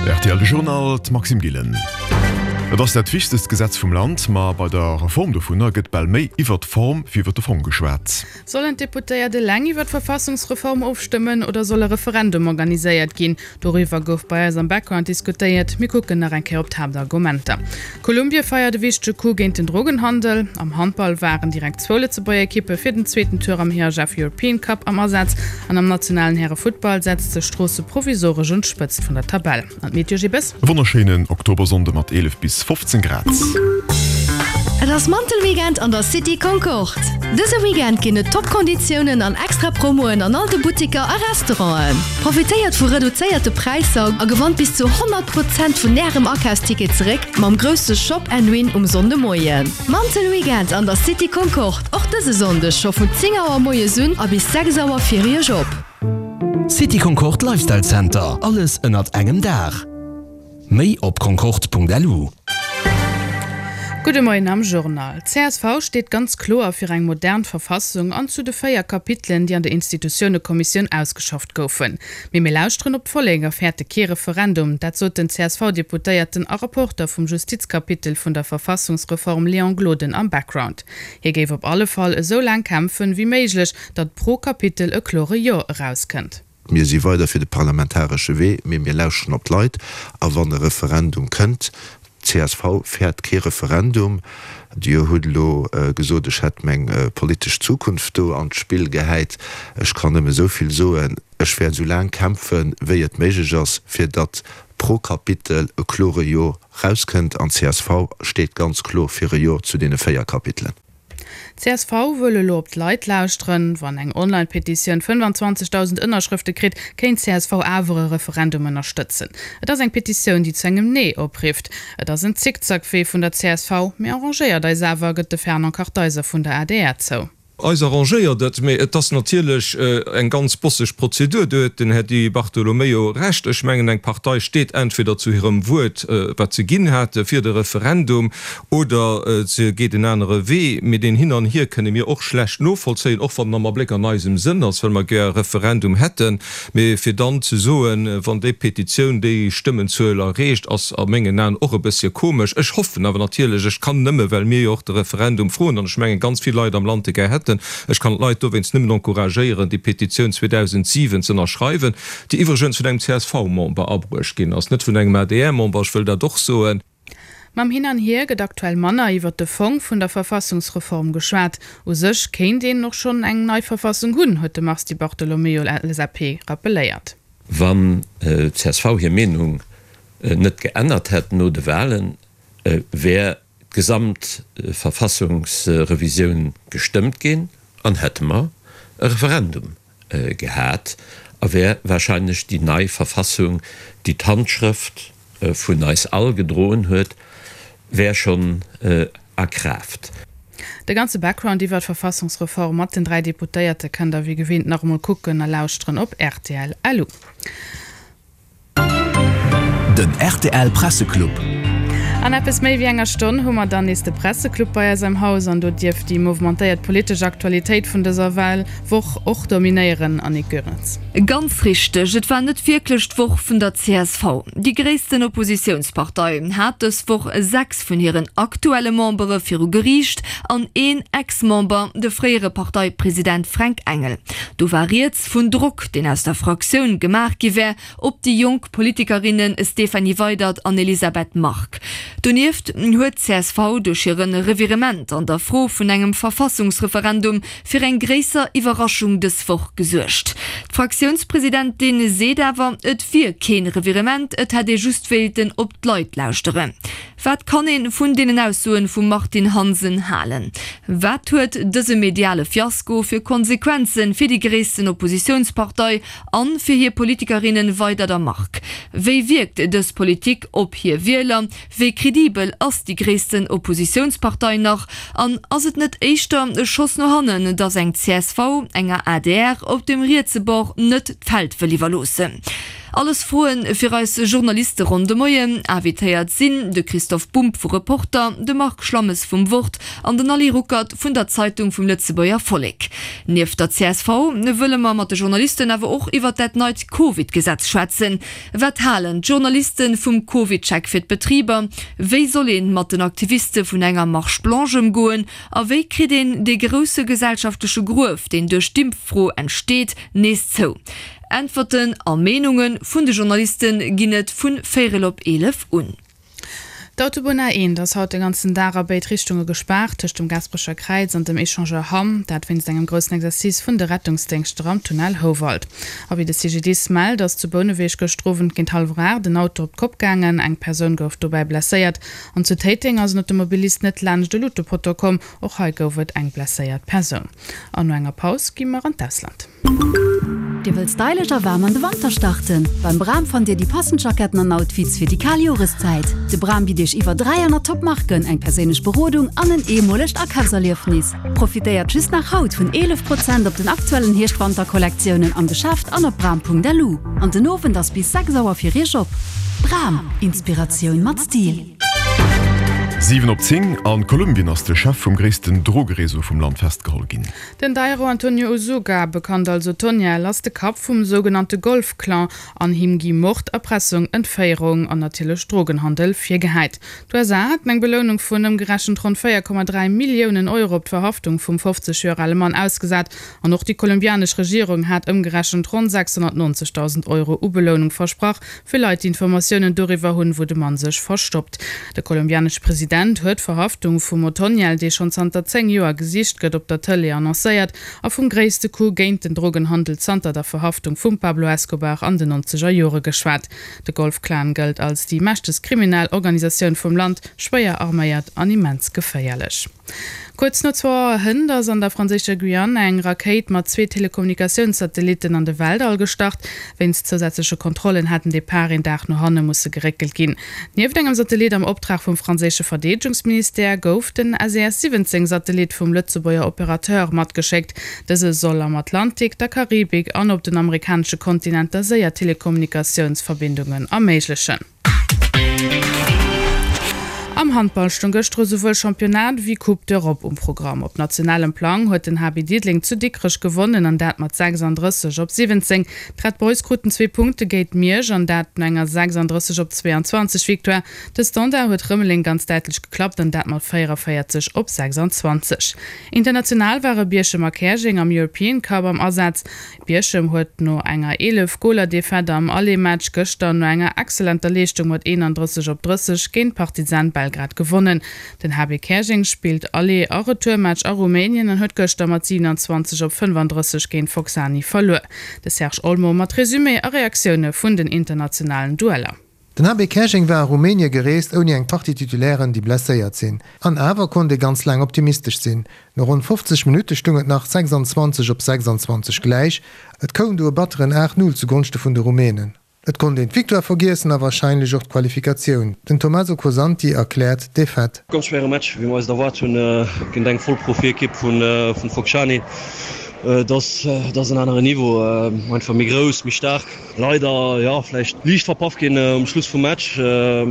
Rtl De Journal, d'Maxime Gillen. Et ass dat wichtegst Gesetz vum Land, ma bei der Reform dovunner gëtt bal méi iwwert d'Form wéi iwwert de Fong geschwat. Sollen d'Deputéiert eleng iwwer d'Verfassungsreform ofstëmmen oder soll e Referendum organiséiert ginn? Doriwwer gouf bei eis am Background diskutéiert. Mir kucken nach eng Kéier op d'Haaptargumenter. Kolumbie feiert e wichtege Coup géint den Drogenhandel. Am Handball waren direkt zwou Lëtzebuerger Ekippe fir den zweeten Tour am IHF European Cup am Asaz. An am nationalen Härefuttball setzt sech Stroosse provisoresch un d'Spëtzt vun der Tabell. An d'Meteo Gibes? E wonnerschéinen Oktobersonnde mat 11 bis 15 Grad. Et ass Mantelweekend an der City Concorde! Dëse Weekend ginn et top Konditiounen an extra Promoen an all de Buttiker a Restauranten. Profitéiert vu reduzéierte Präisser a gewannt bis zu 100 Prozent vun Ärem Akafsticket zeréck mam grousse Shop and Win um Sonndemoien. Mantelweekend an der City Concorde, och dëse Sonndeg scho vun 10 Auer moies un a bis 6 Auer fir Iech op. City Concorde Lifestyle Center, alles ënnert engem Daach. Méi op concorde.lu. Gudde Moien am Journal. Csv steet ganz kloer fir eng modern Verfassung an zu de 4 Kapitelen, déi an der Institutiounekommissioun ausgeschafft goufen. Mee mir lauschteren op d'Vollek a fäerte kee Referendum. Dat sot den CSV-Deputéierten a Rapporter vum Justizkapitel vun der Verfassungsreform Léon Gloden am Background. Hie géif op alle Fall esou laang kämpfen, wéi méiglech, datt pro Kapitel e klore Jo erauskënnt. Mir si weider fir de parlamentaresche Wee, mee mir lauschteren op d'Leit. A wann e Referendum kënnt, csv fäert kee Referendum. Dir hutt elo gesot, ech hätt meng politesch Zukunft do an d'Spill gehäit. Ech kann nëmme esou vill soen, Ech wäert esou laang kämpfen, wéi et méiglech ass, fir datt pro Kapitel e klore Jo rauskënnt. An csv steet ganz kloer fir e Jo zu deene 4 Kapitelen. Csv wëll elo op d'Leit lauschteren. Wann eng Online-Petitioun 25.000 Ënnerschrëfte kritt, kéint csv awer e Referendum ënnerstëtzen. Et ass eng Petitioun, déi zu engem Nee oprifft. Et ass en Zickzackwee vun der csv, mee arrangéiert eis awer, gëtt de Fernand Kartheiser vun der adr zou. Eis arrangéiert et, mee et ass natierlech eng ganz bosseg Prozedur. Do huet den Här Di Bartolomeo Recht. Ech mengen, eng Partei steet entweder zu hirem Wuert, wat se ginn hate fir de Referendum, Oder se geet en anere Wee. Mee deen Hin an Hier kënne mir och schlecht novollzéien, och wann en am Abléck an eisem Sënn ass, well mer gär e Referendum hätten. Mee fir dann ze soen, wann déi Petitioun déi Stëmmenzuel erreecht, ass a mengen Aen och e bëssche komesch. Ech hoffen awer natierlech, ech kann nëmme, well mir jo och de Referendum froen an ech mengen ganz vill Leit am Land e gär hätten, ech kann d'Leit dowéinst nëmmen encouragéieren, déi Petitioun 2007 z'ënnerschreiwen, déi iwwregens vun engem CSV-Member abruecht ginn ass, net vun engem ADR-Member, ech wëll dat och soen. Mam Hin an Hier gëtt aktuell manner iwwert de Fong vun der Verfassungsreform geschwat. U sech kéint een och schonn eng nei Verfassung hunn, huet de Mars Di Bartolomeo, LSAP, rappelléiert. Wann csv hir Meenung net geännert hätt no de Wahlen, wär d'gesamt Verfassungsrevisioun gestëmmt ginn an hätte mer e Referendum gehat a wär wahrscheinlech déi nei Verfassung, déi d'Handschrëft vun eis all gedroen huet, wär schonn a Kraaft. De ganze Background iwwer d'Verfassungsreform mat den 3 Deputéierte kënnt der wéi gewinnt nach emol kucken a lauschteren op rtl. Den rtl Presseclub. An eppes méi wéi enger Stonn hu mer dann nees de Presseclub bei eis am Haus an do dierft déi mouvementéiert politesch Aktualitéit vun dëser Wahlwoch och dominéieren, Annick Goerens. Ganz richteg, et war net wierklech d'Woch vun der csv. Déi gréissten Oppositiounspartei hat dës Woch 6 vun hiren aktuelle Membere viru Geriicht an een Ex-Member, de fréiere Parteipresident Fränk Engel. Do war rieds vun Drock, deen aus der Fraktioun gemaach gi wär op déi jonk Politikerinne Stéphanie Weydert an Elisabeth Margue. Donieft huet csv duerch hire Revirement an der Fro vun engem Verfassungsreferendum fir eng gréisser Iwwerraschung dës Woch gesuergt. D'Fraktiounspresidentin seet awer, et wier kee Revirement, et hätt ee just wéilten op d'Leit lauschteren. Wat kann een vun deenen Aussoen vum Martine Hansen halen? Wat huet dëse mediale Fiasko fir Konsequenzen fir déi gréissten Oppositiounspartei an fir hir Politikerinnen Weydert a Margue? Wéi wierkt dës Politik op hir Wieler? Wéi kredibel ass déi gréissten Oppositiounspartei nach? An ass et net éischter e Schoss no hannen, datt eng csv enger adr op dem rietse Bord net d'Feld wëll iwwerloossen? Alles Froen fir eis Journaliste ronn de Moien. Invitéiert sinn de Christoph Bumb vu Reporter, de Marc Schlammes vum Wort an den Ali Ruckert vun der Zeitung vum Lëtzebuerger Vollek. Nieft der csv wëlle mer mat de Journalisten awer och iwwert dat neit Covid-Gesetz schwätzen. Wat halen d'Journaliste vum Covid-Check fir d'Betriber? Wéi soll ee mat den Aktiviste vun enger Marche blanche ëmgoen? A wéi kritt een dee grousse gesellschaftleche Gruef, deen duerch d'Impffro entsteet, nees zou? Äntwerten a Meenunge vun de Journaliste ginn et vun véierel op 11 un. D'Autobunn A1 ass haut de ganzen Dag a béid Richtunge gespaart, tëscht dem Gaasperecher Kräiz an dem Echangeur Hamm. Dat wéinst engem groussen Exercice vun de Rettungsdéngschter am Tunnel Houwald. A wéi de CGDIS mellt, ass zu Bouneweg gëschter Owend géint hallwer 8 en Auto op d'Kopp gaangen. Eng Persoun gouf dobäi blesséiert. An zu Téiteng ass en Automobilist net laanscht e Luutepoteau komm. Och hei gouf et eng blesséiert Persoun. An no enger Paus gi mer an d'Ausland. Dir wëllt stylesch a waarm an de Wanter starten? Beim Bram fannt Dir déi passend Jacketten an Outfits fir déi kal Joreszäit. De Bram bitt Iech iwwer 300 Top Marken, eng perséinlech Berodung an en eemolegt Akafserliefnis. Profitéiert just nach haut vun 11 Prozent op den aktuellen Hierscht-Wanter-Kollektiounen am Geschäft an op bram.lu. An den Owend ass bis 6 Auer fir Iech op. Bram, Inspiratioun mat Stil. 7 op 10, A Kolumbien ass de Chef vum gréissten Drogereseau vum Land festgeholl ginn. Den Dairo Antonio Usuga, bekannt als Otoniel, ass de Kapp vum sougenannte Golf-Clan an him gi Mord, Erpressung, Entféierung an natierlech Drogenhandel virgehäit. D'USA haten eng Belounung vun ëmgerechent ronn 4,3 Milliounen Euro op d'Verhaftung vum 50 Joer ale Mann ausgesat an och déi kolumbianesch Regierung hat ëmgerechent ronn 690.000 Euro u Belounung versprach, fir Leit, déi Informatiounen doriwwer hunn, wou de Mann sech verstoppt. De kolumbianesche President huet d'Verhaftung vum Otoniel, dee schonn zanter 10 Joer gesicht gëtt, op der Tëlee annoncéiert a vum gréisste Coup géint den Drogenhandel zanter der Verhaftung vum Pablo Escobar an den nonzeger Jore geschwat. De Golf-Clan gëllt als déi mächtegst kriminell Organisatioun vum Land, schwéier arméiert an immens geféierlech. Kuerz no zwou Auer hënt ass an der franséischer Guyane eng Rakéit mat zwee Telekommunikatiounssatellitten an de Weltall gestart. Wéinst zousätzleche Kontrollen hat den Depart een Dag no hanne musse geréckelt ginn. Nieft engem Satellit am Optrag vum franséische Verdeedegungsministère gouf den SES 17 Satellit vum Lëtzebuerger Operateur matgeschéckt. Dëse soll am Atlantik, der Karibik an op den amerikanesche Kontinenter séier Telekommunikatiounsverbindungen erméiglechen. Am Handball stoung gëschter esouwuel Championnat ewéi Coupe d'Europe um Programm. Op nationalem Plang huet den HB Diddeleng zu Dikrech gewonnen an dat mat 36 op 17. D'Red Boys kruten zwee Punkte géint Miersch an dat no enger 36 op 22 Victoire. De Standard huet Rëmeleng ganz däitlech geklappt an dat mat 44 op 26. International ware Bierchem a Käerjeng am European Cup am Asaz. Bierchem huet no enger 11 Goler Defaite am Aller-Match gëschter no enger excellenter Leeschtung mat 31 op 30 géint Partizan Belgrad gewonnen. Den HB Käerjeng spillt Aller a Retourmatch a Rumänien an huet gëschter mat 27 op 35 géint Focsani verluer. De Serge Olmo mat Resumé a Reaktioune vun den internationalen Dueller. Den HB Käerjeng war a Rumänie gereest ouni eng Partie Titulairen, déi blesséiert sinn. An awer konnt ee ganz laang optimistesch sinn. No ronn 50 Minutte stung et nach 26 op 26 gläich. Et koum du e batteren 8, 0 zu Gonschte vun de Rumänen. Et konnt een d'Victoire vergiessen a warscheinlech och d'Qualifikatioun. Den Tommaso Cosanti erkläert d'Defaite. Ganz schwéiere Match, wéi mer eis et erwaart hunn, géint eng Vollprofiekipp vu Focșani. Et ass en anere Niveau, einfach méi grouss, méi staark. Leider, jo, vläicht liicht verpaff ginn um Schluss vum Match. E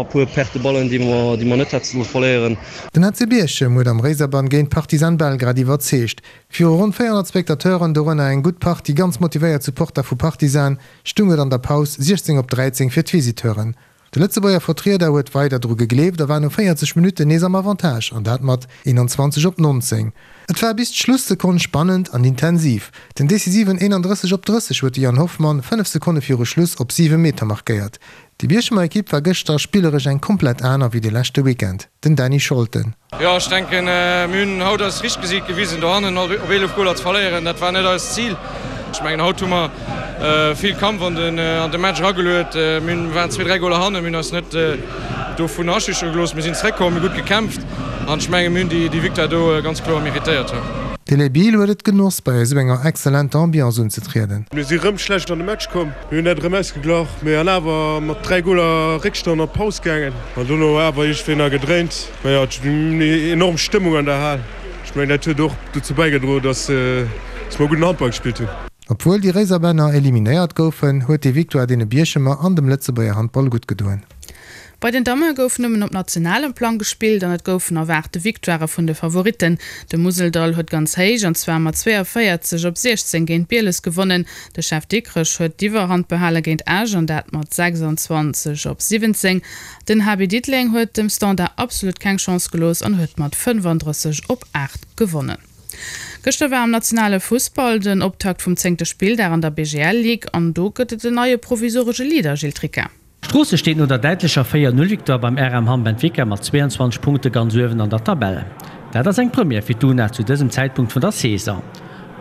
puer Perte de Ballen, déi mer, déi mer net hätte solle verléieren. Den HC Bierchem huet am Réiserbann géint Partizan Belgrad iwwerzeegt. Viru ronn 400 Spectateuren, dorënner eng gutt Partie ganz motivéiert Supporter vu Partizan, stung et an der Paus 16 op 13 fir d'Visiteuren. De Lëtzebuerger Vertrieder huet weider dru gegleeft a war no 40 Minutten nees am Avantage, an dat mat 21 op 19. Et war bis d'Schlussekonn spannend an intensiv. Den decisiven 31 op 30 huet de Yann Hoffmann 5 Sekonne viru Schluss op 7 Meter markéiert. Déi Bierchemer Ekipp war gëschter spilleresch eng komplett aner wéi de leschte Weekend. Den Dany Scholten. Jo, ech denken, mir hunn haut eist richtegt Gesiit gewisen. Dohannen op 11 Goler ze verléieren, dat war net eist Zil. Ech mengen, haut hu mer vill Kampf an de Match erageluet. Mir waren zwee, dräi Goler hannen, mir hunn eis net dovun aschüchtere gelooss. Mir sinn zeréckkomm, mir hu gutt gekämpft an ech mengen, mir hunn déi Victoire do ganz kloer meritéiert. De Les Bill huet et genoss, bei esou enger exzellenter Ambiance unzetrieden. Mir si rëm schlecht an de Match komm. Mir hunn dat erëm ausgeglach, mee an awer mat 3 Goler Réckstand an d'Paus gaangen. An dono awer iergendwéi nach gedréint. Mä jo, et war enorm Stëmmung an der Hal. Ech mengen, dat huet och dozou bäigedroen, dass mer gudden Handball gespillt hunn. Obwuel déi Réiserbänner eliminéiert goufen, huet déi Victoire deene Bierchemer an dem Lëtzebuerger Handball gutt gedoen. Bei den Damme gouf nëmmen op nationalem Plang gespillt an et goufen erwaarte Victoirë vun de Favoritten. De Museldall huet ganz héich, an zwar mat 42 op 16 géint Bieles gewonnen. De Chef Dikrech huet d'Iwwerhand behale géint Esch an dat mat 26 op 17. Den HB Diddeleng huet dem Standard absolut keng Chance gelooss an huet mat 35 op 8 gewonnen. Gëschter war am nationale Fussball den Optakt vum zéngte Spilldag an der BGL Ligue an do gëtt et en neie provisoresche Leader, Gilles Tricca. Stroosse steet no der däitlecher 4, 0 Victoire beim RM Hamm Benfica mat 22 Punkte ganz uewen an der Tabell. Dat ass eng Première fir d'UNA zu dësem Zäitpunkt vun der Saison.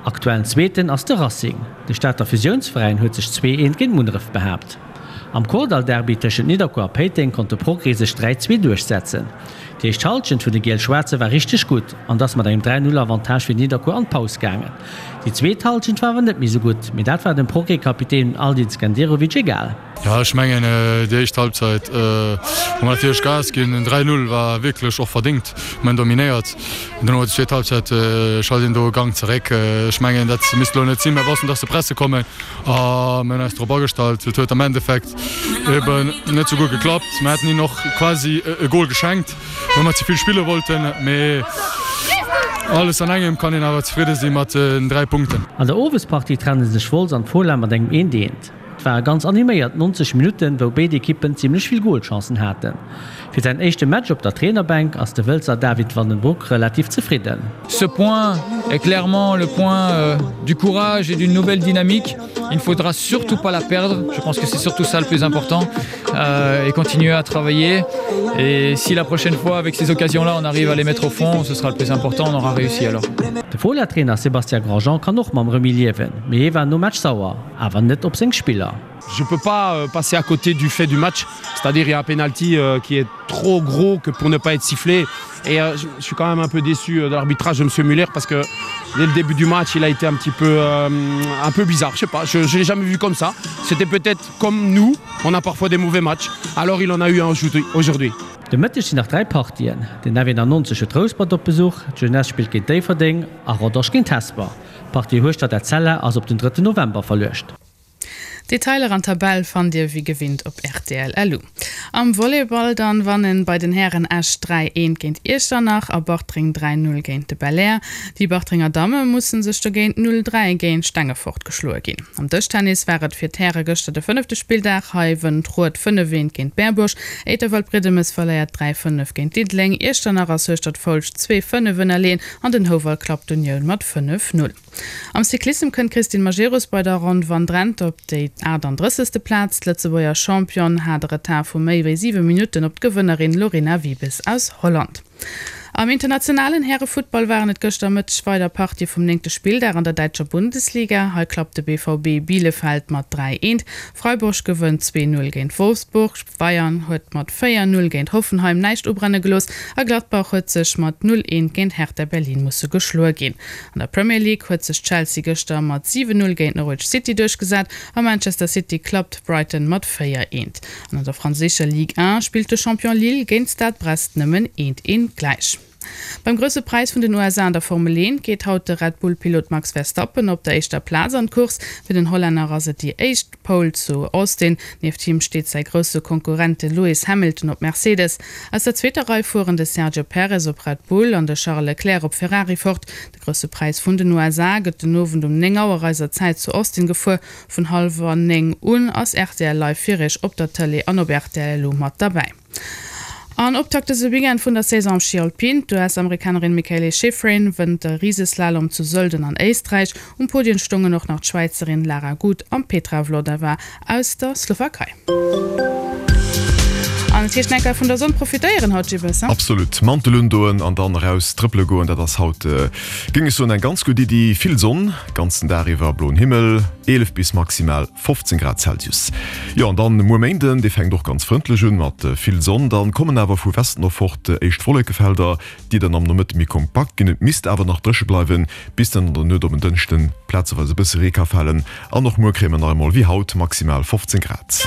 Aktuellen Zweeten ass de Racing. De Stater Fusiounsveräin huet sech 2, 1 géint Munneref behaapt. Am Kordall-Derby tëschent Nidderkuer a Péiteng konnt de Progrès sech 3, 2 duerchsetzen. Déi éischt Hallschent vun de Giel-Schwaarze war richteg gutt an ass mat engem 3, 0 Avantage fir Nidderkuer an d'Paus gaangen. Déi zweet Hallschent war awer net méi sou gutt, mee dat war dem Progrès-Kapitän Aldin Skenderovic egal. Jo, ech mengen déi éischt Halbzeit hu mer natierlech Gas ginn. Den 3, 0 war wierklech och verdéngt, mir hunn dominéiert. Duerno déi zweet Halbzeit schalt een do e Gang zeréck. Ech mengen dat misst elo net sinn. Mir wossten, dass se presse kommen a mir hunn eis drop agestallt. Et huet am Endeffekt eben net sou gutt geklappt. Mir hätten hinnen och quasi e Gol geschenkt, well mer ze vill spille wollten. Mee alles an engem kann een awer zefridde si mat den 3 Punkten. An der Owespartie trenne sech Wolz an d'Fola mat engem eent eent. Et ware ganz animéiert 90 Minutten, wou béid Ekippen zimmlech vill Golchancen haten. Fir säin éischte Match op der Trainerbänk ass de Wëlzer David van den Broek relativ zefridden. Ce point est clairement le point du courage et d'une nouvelle dynamique. Il ne faudra surtout pas la perdre. Je pense que c'est surtout ça le plus important euh, et continuer à travailler. Et si la prochaine fois avec ces occasions-là on arrive à les mettre au fond, ce sera le plus important, on aura réussi alors. De Fola-Trainer Sébastien Grandjean kann och mam Remis liewen, mee hie war nom Match sauer, awer net op seng Spiller. Je peux pas euh, passer à côté du fait du match, c'est-à-dire il y a un penalty euh, qui est trop gros que pour ne pas être sifflé et euh, je suis quand même un peu déçu euh, de l'arbitrage de monsieur Muller parce que dès le début du match il a été un petit peu euh, un peu bizarre je sais pas je, je l'ai jamais vu comme ça c'était peut-être comme nous on a parfois des mauvais matchs alors il en a eu un aujourd'hui. De Mëtteg sinn nach 3 Partien. Den F91 huet Rouspert op Besuch, d'Jeunesse spillt géint Déifferdeng a Rodange géint Hesper. D'Partie Hueschtert-Etzella ass op den 3 November verluecht. Detailer an Tabell fannt dir wéi gewinnt op rtl.lu. Am Volleyball dann wannen bei den Hären Esch 3, 1 géint Iechternach a Bartreng 3, 0 géint de Belair. Déi Bartrenger Damme mussen sech dogéint 0, 3 géint Stengefort geschloe ginn. Am Dëschtennis war et fir d'Häre gëschter de fënnefte Spilldag. Hei wënnt Rued 5, 1 géint Berbuerg. Éiterwald-Briedemes verléiert 3, 5 géint Diddeleng. Iechternach ass Hueschtert-Foulscht 2, 5 ënnerleeën an den Houwald klappt d'Unioun mat 5, 0. Am Cyclissem kënnt d'Christine Majerus bei der Ronn van Drenthe op déi 38. Plaz. D'Lëtzebuerger Championne hat e Retard vu méi wéi 7 Minutten op d'Gewënnerin Lorena Wiebes aus Holland. Am internationalen Härefuttball waren et gëschter Mëtteg weider Partië vum néngte Spilldag an der däitscher Bundesliga. Hei klappt de BVB Bielefeld mat 3, 1, Freiburg gewënnt 2, 0 géint Wolfsburg, Bayern huet mat 4, 0 géint Hoffenheim näischt ubrenne gelooss a Gladbach huet sech mat 0, 1 géint Hertha Berlin musse geschloe ginn. An der Premier League huet sech Chelsea gëschter mat 7, 0 géint Norwich City duerchgesat a Manchester City klappt Brighton mat 4, 1. An an der franséischer Ligue 1 spillt de Champion Lille géint Stade Brest nëmmen 1, 1 gläich. Beim Grousse Präis vun den USA an der Formel 1 geet haut de Red Bull-Pilot Max Verstappen op der éischter Plaz an d'Course. Fir den Hollänner ass et déi éischt Pole zu Austin. Nieft him steet säi grousse Konkurrent de Lewis Hamilton op Mercedes. Aus der zweeter Rei fueren de Sergio Perez op Red Bull an de Charles Leclerc op Ferrari fort. De Grousse Präis vun den USA gëtt den Owend um 9 Auer eiser Zäit zu Austin gefuer. Vun hallwer 9 un ass rtl Live fir iech op der Tëlee an op rtl Lu mat derbäi. An Optakt dëse Weekend vun der Saison am Schi Alpin, D'US-Amerikanerin Mikaele Shiffrin wënnt de Riseslalom zu Sölden an Éisträich. Um Podien stoungen och nach d'Schwäizerin Lara Gut an d'Petra Vlhova aus der Slowakei. An et heescht nach eng Kéier vun der Sonn profitéieren haut, Gibbes, he? Absolut. Mantel undoen an dann eraus trëppele goen, dat ass haut, géing ech soen, eng ganz gutt Iddi. Vill Sonn, ganzen Dag iwwer bloen Himmel, 11 bis maximal 15 Grad Celsius. Jo, an dann muer Méinden, dee fänkt och ganz frëndlech un mat vill Sonn. Dann kommen awer vu Westen of fort éischt Wollekefelder, déi dann am Nomëtte méi kompakt ginn. Et misst awer nach dréche bleiwen, bis dann an der Nuet op en Dënschden plazeweis e bësse Ree ka falen. An och muer kréie mer nach emol wéi haut maximal 15 Grad.